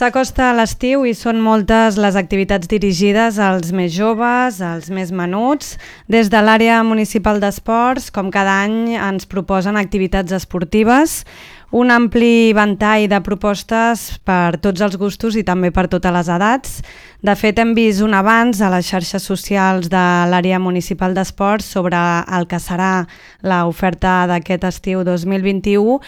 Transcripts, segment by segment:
S'acosta l'estiu i són moltes les activitats dirigides als més joves, als més menuts. Des de l'àrea municipal d'esports, com cada any, ens proposen activitats esportives, un ampli ventall de propostes per tots els gustos i també per totes les edats. De fet, hem vist un avanç a les xarxes socials de l'àrea municipal d'esports sobre el que serà l'oferta d'aquest estiu 2021,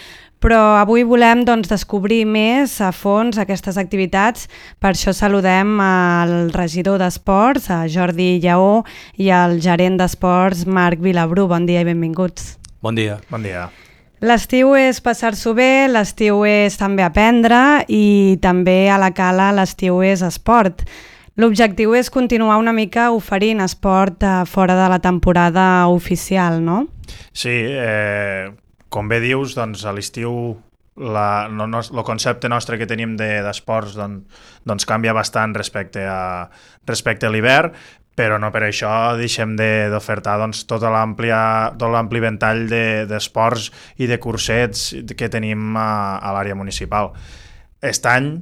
però avui volem descobrir més a fons aquestes activitats. Per això saludem al regidor d'Esports, a Jordi Lleó, i al gerent d'Esports, Marc Vilabrú. Bon dia i benvinguts. Bon dia. Bon dia. L'estiu és passar-s'ho bé, l'estiu és també aprendre i també a la Cala l'estiu és esport. L'objectiu és continuar una mica oferint esport fora de la temporada oficial, no? Sí, com bé dius, doncs a l'estiu el concepte nostre que tenim d'esports doncs canvia bastant respecte a l'hivern, però no per això deixem d'ofertar tot l'ampli ventall d'esports i de cursets que tenim a l'àrea municipal. Aquest any,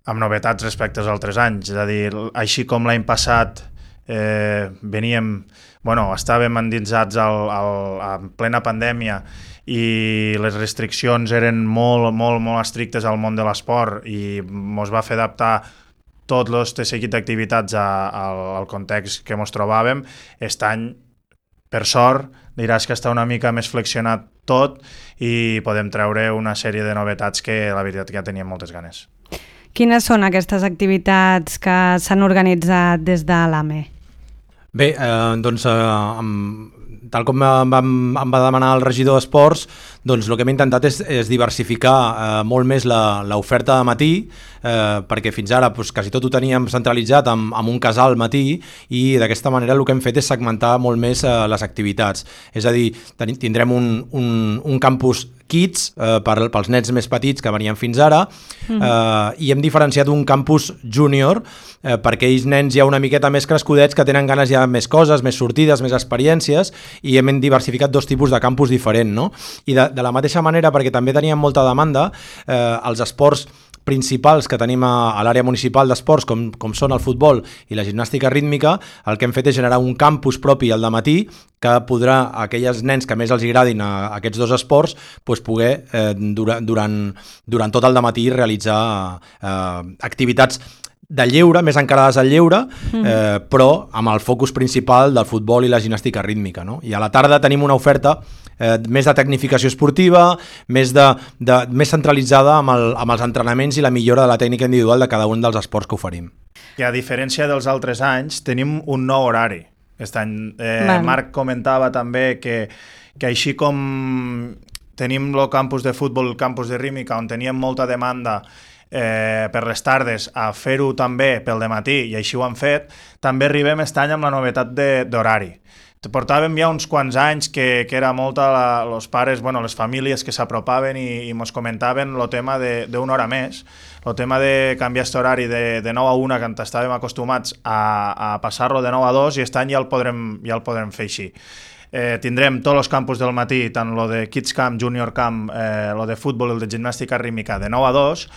amb novetats respecte als altres anys, és a dir, així com l'any passat estàvem endinsats en plena pandèmia i les restriccions eren molt estrictes al món de l'esport i ens va fer adaptar tot el seguit d'activitats al context que ens trobàvem. Aquest any, per sort, diràs que està una mica més flexionat tot i podem treure una sèrie de novetats que la veritat que ja teníem moltes ganes. Quines són aquestes activitats que s'han organitzat des de l'AME? Bé, tal com em va demanar el regidor d'Esports, el que hem intentat és diversificar molt més l'oferta de matí, perquè fins ara quasi tot ho teníem centralitzat en un casal al matí i d'aquesta manera el que hem fet és segmentar molt més les activitats. És a dir, tindrem un campus kids pels nens més petits que venien fins ara i hem diferenciat un campus júnior per aquells nens ja una miqueta més crescudets que tenen ganes ja de més coses, més sortides, més experiències, i hem diversificat dos tipus de campus diferents, no? I de la mateixa manera, perquè també teníem molta demanda, els esports principals que tenim a l'àrea municipal d'esports, com són el futbol i la gimnàstica rítmica, el que hem fet és generar un campus propi al dematí que podrà, a aquells nens que més els agradin aquests dos esports, poder durant tot el dematí realitzar activitats de lleure, més encarades al lleure, però amb el focus principal del futbol i la gimnàstica rítmica, no? I a la tarda tenim una oferta més de tecnificació esportiva, més centralitzada amb els entrenaments i la millora de la tècnica individual de cada un dels esports que oferim. I a diferència dels altres anys, tenim un nou horari. Aquest any Marc comentava també que així com tenim el campus de futbol, el campus de rítmica, on teníem molta demanda per les tardes a fer-ho també pel dematí, i així ho han fet, també arribem aquest any amb la novetat d'horari. Portàvem ja uns quants anys que era molta els pares, les famílies que s'apropaven i ens comentaven el tema d'una hora més, el tema de canviar aquest horari de 9 a 1, que estàvem acostumats a passar-lo de 9 a 2, i aquest any ja el podrem fer així. Tindrem tots els campus del matí, tant el de Kids Camp, Junior Camp, el de futbol i el de gimnàstica rítmica de 9 a 2,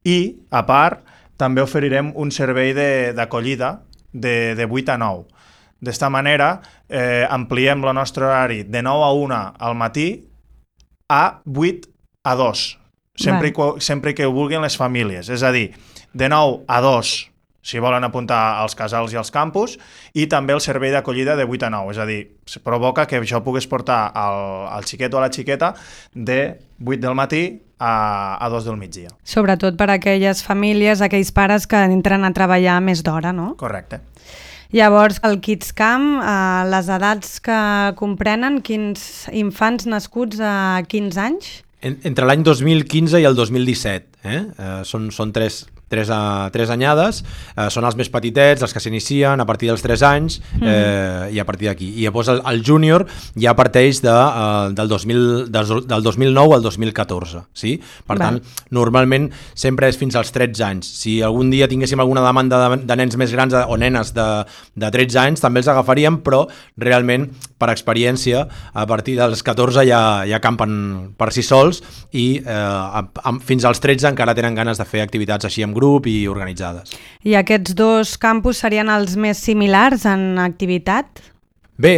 i, a part, també oferirem un servei d'acollida de 8 a 9. D'esta manera, ampliem el nostre horari de 9 a 1 al matí a 8 a 2, sempre que ho vulguin les famílies. És a dir, de 9 a 2, si volen apuntar als casals i als campus, i també el servei d'acollida de 8 a 9. És a dir, provoca que això puguis portar al xiquet o a la xiqueta de 8 del matí a 2 del migdia. Sobretot per a aquelles famílies, aquells pares que entren a treballar més d'hora, no? Correcte. Llavors, el Kids Camp, les edats que comprenen, quins infants nascuts a quins anys? Entre l'any 2015 i el 2017. Són tres anyades, són els més petitets, els que s'inicien a partir dels 3 anys i a partir d'aquí. I llavors el júnior ja parteix del 2009 al 2014. Sí? Per tant, normalment sempre és fins als 13 anys. Si algun dia tinguéssim alguna demanda de nens més grans o nenes de 13 anys, també els agafaríem, però realment, per experiència, a partir dels 14 ja campen per si sols i fins als 13 encara tenen ganes de fer activitats així amb grup grup i organitzades. I aquests dos campus serien els més similars en activitat? Bé,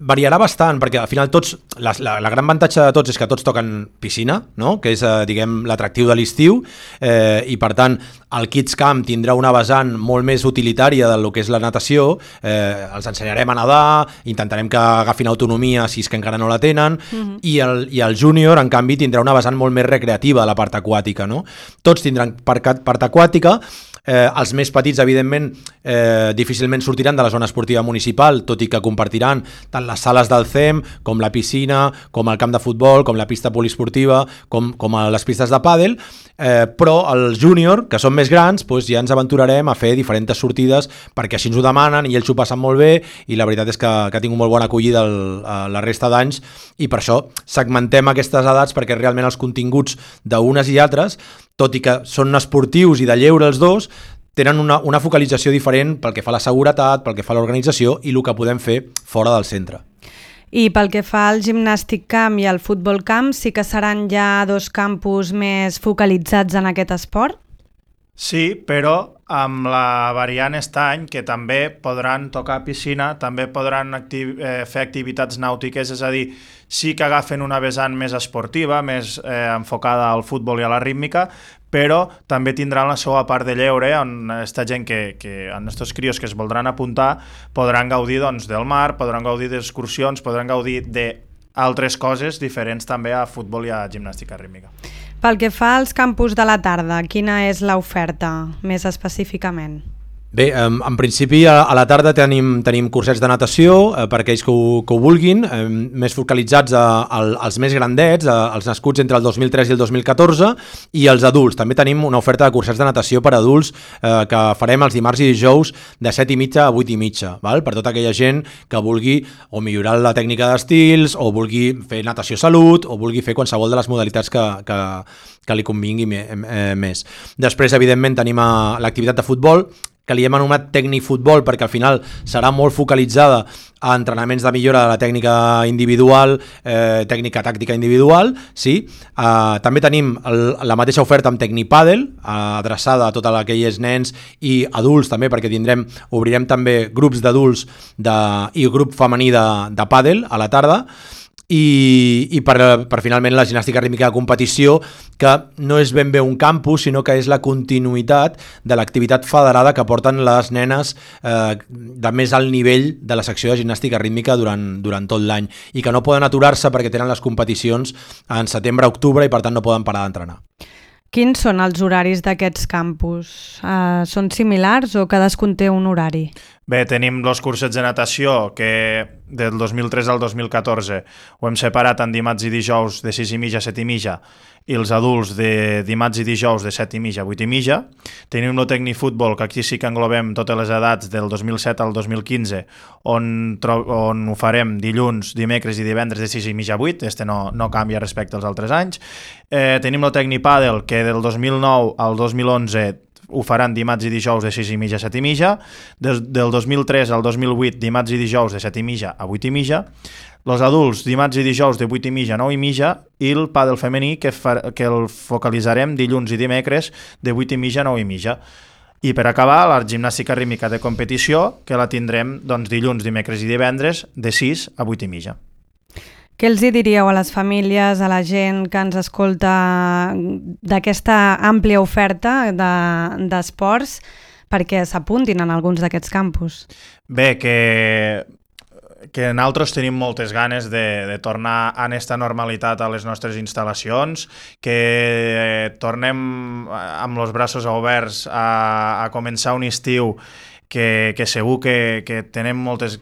variarà bastant, perquè al final tots, la gran avantatge de tots és que tots toquen piscina, no? Que és, diguem, l'atractiu de l'estiu, i per tant el Kids Camp tindrà una vessant molt més utilitària del que és la natació, els ensenyarem a nedar, intentarem que agafin autonomia si és que encara no la tenen, i el Júnior, en canvi, tindrà una vessant molt més recreativa de la part aquàtica, no? Tots tindran part aquàtica. Els més petits, evidentment, difícilment sortiran de la zona esportiva municipal, tot i que compartiran tant les sales del CEM, com la piscina, com el camp de futbol, com la pista poliesportiva, com les pistes de pàdel, però els júnior, que són més grans, doncs ja ens aventurarem a fer diferents sortides, perquè així ens ho demanen i ells ho passen molt bé, i la veritat és que ha tingut molt bona acollida la resta d'anys, i per això segmentem aquestes edats, perquè realment els continguts d'unes i altres, tot i que són esportius i de lleure els dos, tenen una focalització diferent pel que fa a la seguretat, pel que fa a l'organització i el que podem fer fora del centre. I pel que fa al gimnàstic camp i al futbol camp, sí que seran ja dos campus més focalitzats en aquest esport? Sí, però amb la variant aquest any que també podran tocar piscina, també podran fer activitats nàutiques, és a dir, sí que agafen una vessant més esportiva, més enfocada al futbol i a la rítmica, però també tindran la seva part de lleure, on aquesta gent on estos crios que es voldran apuntar podran gaudir del mar, podran gaudir d'excursions, podran gaudir d'altres coses diferents també a futbol i a gimnàstica rítmica. Pel que fa als campus de la tarda, quina és l'oferta més específicament? Bé, en principi a la tarda tenim cursets de natació per aquells que ho vulguin, més focalitzats als més grandets, als nascuts entre el 2003 i el 2014, i els adults. També tenim una oferta de cursets de natació per adults que farem els dimarts i dijous de 7:30 a 8:30, val? Per tota aquella gent que vulgui o millorar la tècnica d'estils, o vulgui fer natació salut, o vulgui fer qualsevol de les modalitats que li convingui més. Després, evidentment, tenim l'activitat de futbol, que li hem anomenat tècnic-futbol perquè al final serà molt focalitzada a entrenaments de millora de la tècnica individual, tècnica tàctica individual, sí. També tenim la mateixa oferta amb tecnipàdel, adreçada a tots aquells nens i adults també, perquè obrirem també grups d'adults i grup femení de pàdel a la tarda, i per finalment la gimnàstica rítmica de competició, que no és ben bé un campus, sinó que és la continuïtat de l'activitat federada que porten les nenes de més alt nivell de la secció de gimnàstica rítmica durant tot l'any, i que no poden aturar-se perquè tenen les competicions en setembre-octubre i per tant no poden parar d'entrenar. Quins són els horaris d'aquests campus? Són similars o cadascun té un horari? Bé, tenim els cursets de natació que del 2003 al 2014 ho hem separat en dimarts i dijous de 6:30 a 7:30 i els adults de dimarts i dijous de 7:30 a 8:30. Tenim el tecnifutbol, que aquí sí que englobem totes les edats del 2007 al 2015, on ho farem dilluns, dimecres i divendres de 6:30 a 8, no canvia respecte als altres anys. Tenim el tecnipàdel, que del 2009 al 2011 ho faran dimarts i dijous de 6:30 a 7:30, del 2003 al 2008 dimarts i dijous de 7:30 a 8:30, els adults dimarts i dijous de 8:30 a 9:30, i el pàdel femení que el focalitzarem dilluns i dimecres de 8:30 a 9:30. I per acabar, la gimnàstica rítmica de competició, que la tindrem dilluns, dimecres i divendres de 6 a 8:30. Què els diríeu a les famílies, a la gent que ens escolta d'aquesta àmplia oferta d'esports perquè s'apuntin en alguns d'aquests campus? Bé, que nosaltres tenim moltes ganes de tornar a aquesta normalitat a les nostres instal·lacions, que tornem amb els braços oberts a començar un estiu que segur que tenim moltes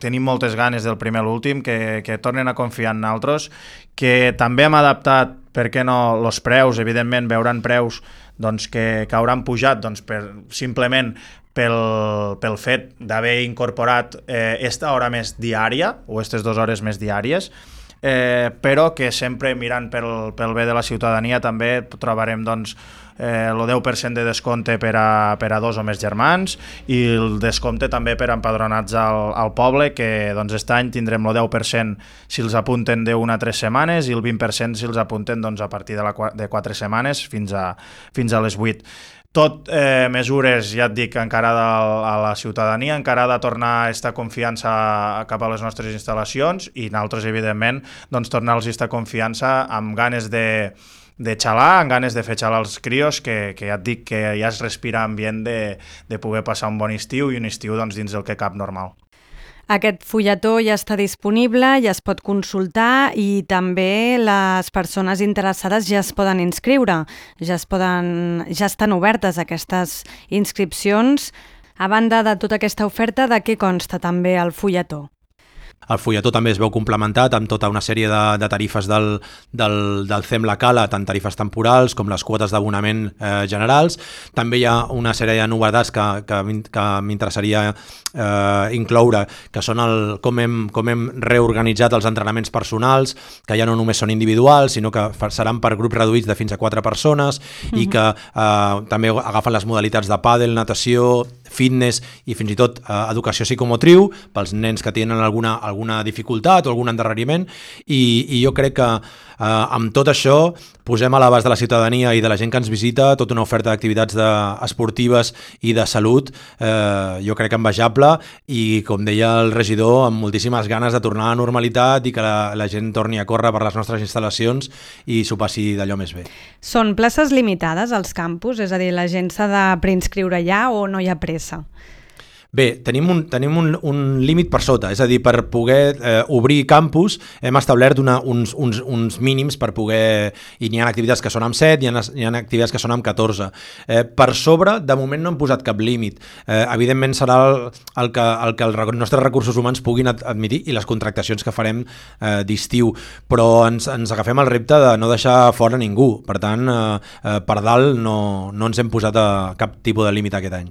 ganes del primer a l'últim, que tornen a confiar en nosaltres, que també hem adaptat, per què no, els preus, evidentment veuran preus que hauran pujat simplement pel fet d'haver incorporat esta hora més diària, o aquestes 2 hores més diàries, però que sempre mirant pel bé de la ciutadania també trobarem el 10% de descompte per a 2 o més germans, i el descompte també per empadronats al poble, que aquest any tindrem el 10% si els apunten d'1 a 3 setmanes i el 20% si els apunten a partir de 4 setmanes fins a les 8. tot mesures, ja et dic, encarada a la ciutadania, encarada a tornar aquesta confiança cap a les nostres instal·lacions i nosaltres, evidentment, doncs, tornar-los aquesta confiança amb ganes de xalar, amb ganes de fer xalar els crios, que ja et dic que ja es respira ambient de poder passar un bon estiu i un estiu doncs, dins del que cap normal. Aquest fulletó ja està disponible, ja es pot consultar i també les persones interessades ja es poden inscriure, ja estan obertes aquestes inscripcions. A banda de tota aquesta oferta, de què consta també el fulletó? El fulletó també es veu complementat amb tota una sèrie de tarifes del CEM La Cala, tant tarifes temporals com les quotes d'abonament generals. També hi ha una sèrie de novetats que m'interessaria incloure, que són com hem reorganitzat els entrenaments personals, que ja no només són individuals, sinó que seran per grups reduïts de fins a 4 persones i que també agafen les modalitats de pàdel, natació, fitness i fins i tot educació psicomotriu pels nens que tenen alguna dificultat o algun endarreriment i jo crec que amb tot això posem a l'abast de la ciutadania i de la gent que ens visita tota una oferta d'activitats esportives i de salut, jo crec que envejable i, com deia el regidor, amb moltíssimes ganes de tornar a la normalitat i que la gent torni a córrer per les nostres instal·lacions i s'ho passi d'allò més bé. Són places limitades als campus? És a dir, la gent s'ha de preinscriure ja o no hi ha pressa? Bé, tenim un límit per sota, és a dir, per poder obrir campus hem establert uns mínims per poder... I n'hi ha activitats que són amb 7, hi ha activitats que són amb 14. Per sobre, de moment no hem posat cap límit. Evidentment serà el que els nostres recursos humans puguin admitir i les contractacions que farem d'estiu, però ens agafem el repte de no deixar fora ningú. Per tant, per dalt no ens hem posat cap tipus de límit aquest any.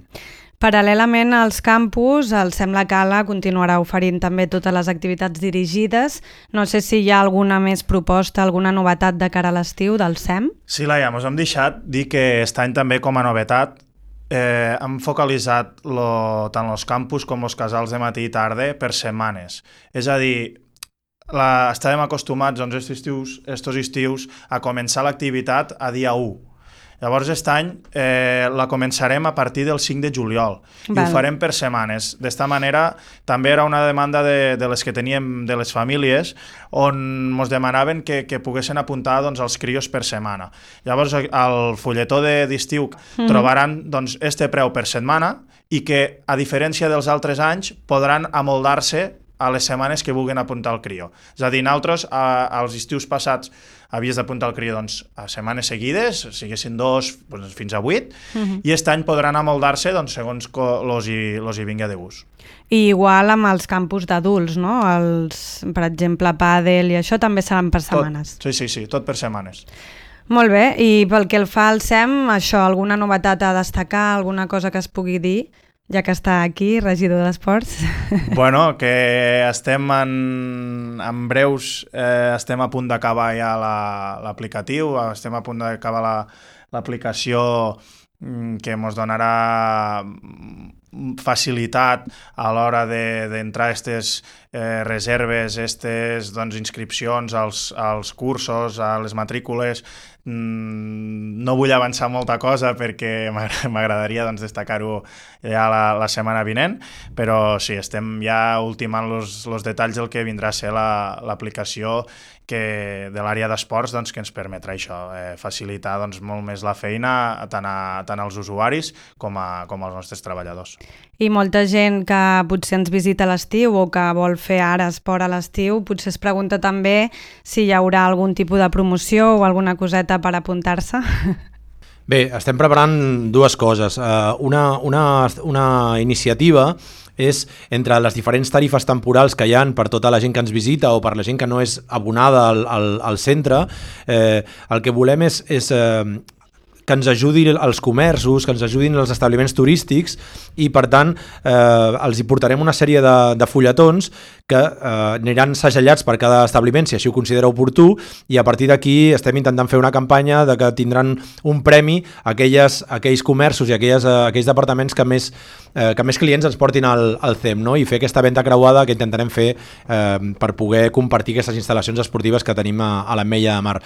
Paral·lelament als campus, el CEM La Cala continuarà oferint també totes les activitats dirigides. No sé si hi ha alguna més proposta, alguna novetat de cara a l'estiu del CEM? Sí, Laia, ens hem deixat dir que aquest any també com a novetat hem focalitzat tant els campus com els casals de matí i tarda per setmanes. És a dir, estàvem acostumats estos estius a començar l'activitat a dia 1. Llavors, aquest any la començarem a partir del 5 de juliol i ho farem per setmanes. D'esta manera, també era una demanda de les que teníem de les famílies on ens demanaven que poguessin apuntar els crios per setmana. Llavors, al fulletó d'estiu trobaran este preu per setmana i que, a diferència dels altres anys, podran amoldar-se a les setmanes que vulguin apuntar el crió. És a dir, nosaltres, als estius passats, havies d'apuntar el crió a setmanes seguides, siguessin 2 fins a 8, i aquest any podran amoldar-se segons los hi vinga de gust. I igual amb els campus d'adults, no? Per exemple, pàdel i això també seran per setmanes. Sí, tot per setmanes. Molt bé, i pel que el fa al CEM, això, alguna novetat a destacar, alguna cosa que es pugui dir? Ja que està aquí, regidor d'Esports. Bueno, que estem en breus, estem a punt d'acabar ja l'aplicatiu, estem a punt d'acabar l'aplicació que ens donarà facilitat a l'hora d'entrar aquestes reserves, aquestes inscripcions als cursos, a les matrícules. No vull avançar molta cosa perquè m'agradaria destacar-ho ja la setmana vinent, però sí, estem ja ultimant els detalls del que vindrà a ser l'aplicació de l'àrea d'esports que ens permetrà això, facilitar molt més la feina tant als usuaris com als nostres treballadors. I molta gent que potser ens visita a l'estiu o que vol fer ara esport a l'estiu, potser es pregunta també si hi haurà algun tipus de promoció o alguna coseta per apuntar-se. Bé, estem preparant dues coses. Una iniciativa és entre les diferents tarifes temporals que hi ha per tota la gent que ens visita o per la gent que no és abonada al centre. El que volem és que ens ajudin els comerços, que ens ajudin els establiments turístics i, per tant, els hi portarem una sèrie de fulletons que aniran segellats per cada establiment, si així ho considera oportú, i a partir d'aquí estem intentant fer una campanya de que tindran un premi a aquells comerços i aquells departaments que més clients ens portin al CEM, no? I fer aquesta venda creuada que intentarem fer per poder compartir aquestes instal·lacions esportives que tenim a l'Ametlla de Mar.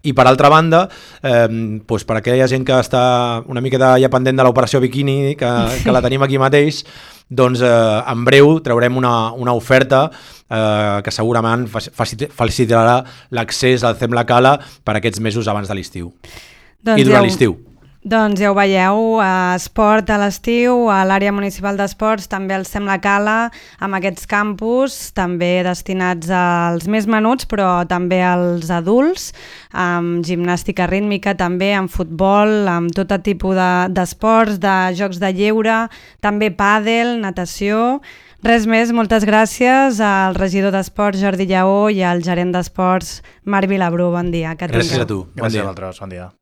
I per altra banda, per aquella ha gent que està una miqueta ja pendent de l'operació Bikini, que la tenim aquí mateix, doncs en breu traurem una oferta que segurament facilitarà l'accés al Cem la Cala per aquests mesos abans de l'estiu. I durant l'estiu. Doncs ja ho veieu, esport a l'estiu, a l'àrea municipal d'esports, també el Cem la Cala, amb aquests campus, també destinats als més menuts, però també als adults, amb gimnàstica rítmica també, amb futbol, amb tot tipus d'esports, de jocs de lleure, també pàdel, natació. Res més, moltes gràcies al regidor d'Esports Jordi Lleó i al gerent d'Esports Marc Vilabrú. Bon dia. Gràcies a tu. Gràcies a vosaltres, bon dia.